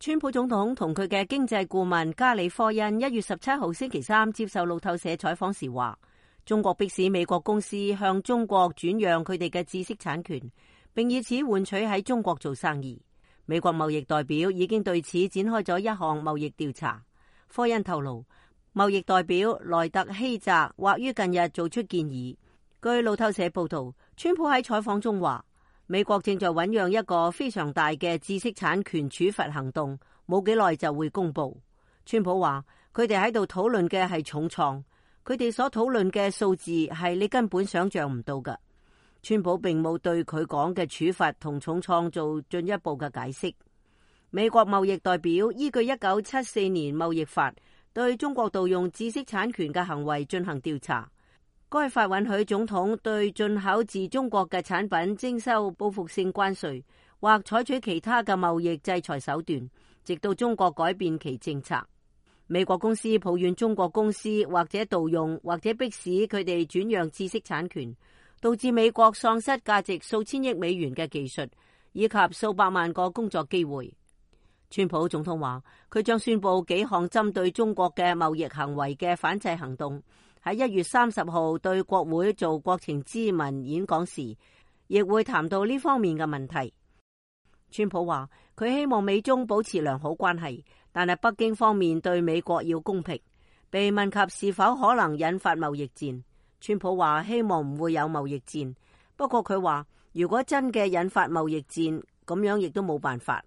川普總統同佢嘅經濟顧問加里科恩1月17號星期三接受路透社採訪時話，中國迫使美國公司向中國轉讓佢哋嘅知識產權，並以此換取喺中國做生意。美國貿易代表已經對此展開咗一項貿易調查。科恩透露，貿易代表萊特希澤或於近日做出建議。據路透社報道，川普喺採訪中話，美國正在醞釀一個非常大嘅知識產權處罰行動，冇幾耐就會公布。川普話，佢哋喺度討論嘅係重創，佢哋所討論嘅數字係你根本想象唔到㗎。川普並冇對佢講嘅處罰同重創做進一步嘅解釋。美國貿易代表依據1974年貿易法對中國盜用知識產權嘅行為進行調查。該法允許總統對進口自中國嘅產品徵收報復性關稅，或採取其他嘅貿易制裁手段，直到中國改變其政策。美國公司抱怨中國公司或者盜用或者迫使佢哋轉讓知識產權，導致美國喪失價值數千億美元嘅技術以及數百萬個工作機會。川普總統話，佢將宣布幾項針對中國嘅貿易行為嘅反制行動。喺1月30號對國會做國情咨文演講時，亦會談到呢方面嘅問題。川普話，佢希望美中保持良好關係，但係北京方面對美國要公平。被問及是否可能引發貿易戰，川普話希望唔會有貿易戰，不過佢話如果真嘅引發貿易戰，咁樣亦都冇辦法。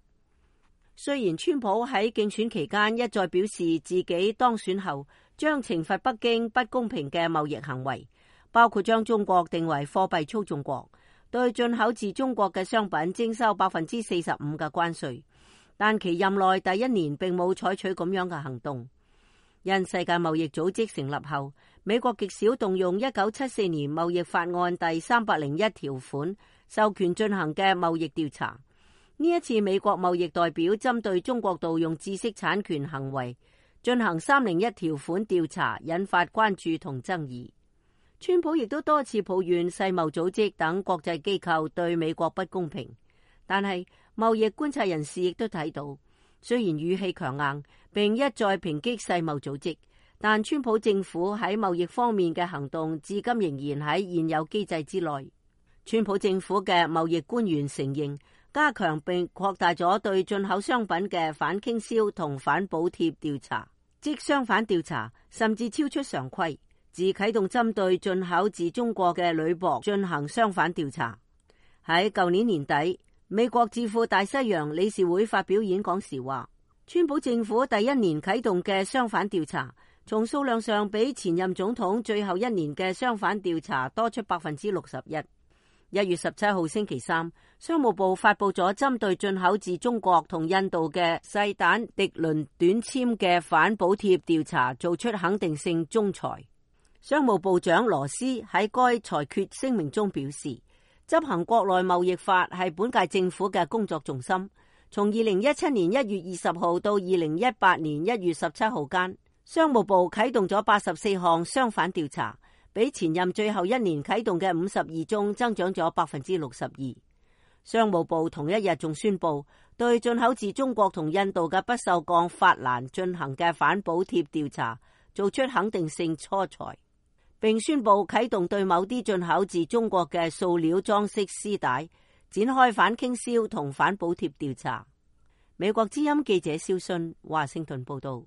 雖然川普喺競選期間一再表示自己當選後將懲罰北京不公平嘅貿易行為，包括將中國定為貨幣操縱國，對進口自中國嘅商品徵收45%嘅關稅，但其任內第一年並冇採取咁樣嘅行動。因世界貿易組織成立後，美國極少動用1974年貿易法案第301條款授權進行嘅貿易調查。呢一次美國貿易代表針對中國盜用知識產權行為進行301條款調查，引發關注同爭議。川普亦都多次抱怨世貿組織等國際機構對美國不公平，但係貿易觀察人士亦都睇到，雖然語氣強硬並一再抨擊世貿組織，但川普政府喺貿易方面嘅行動至今仍然喺現有機制之內。川普政府嘅貿易官員承認，加強並擴大咗對進口商品嘅反傾銷同反補貼調查，即相反調查甚至超出常規，自啟動針對進口自中國嘅鋁箔進行相反調查。喺舊年年底，美國智庫大西洋理事會發表演講時話，川普政府第一年啟動嘅相反調查，從數量上比前任總統最後一年嘅相反調查多出61%。1月17號星期三，商務部發佈咗針對進口自中國同印度嘅細彈滌綸短纖嘅反補貼調查，做出肯定性仲裁。商務部長羅斯喺該裁決聲明中表示，執行國內貿易法係本屆政府嘅工作重心。從2017年1月20號到2018年1月17號間，商務部啟動咗84項相反調查，比前任最後一年啟動嘅52宗增長咗62%。商務部同一日仲宣布對進口自中國同印度嘅不鏽鋼法蘭進行嘅反補貼調查，做出肯定性初裁，並宣布啟動對某啲進口自中國嘅塑料裝飾絲帶展開反傾銷同反補貼調查。美國之音記者蕭信華盛頓報道。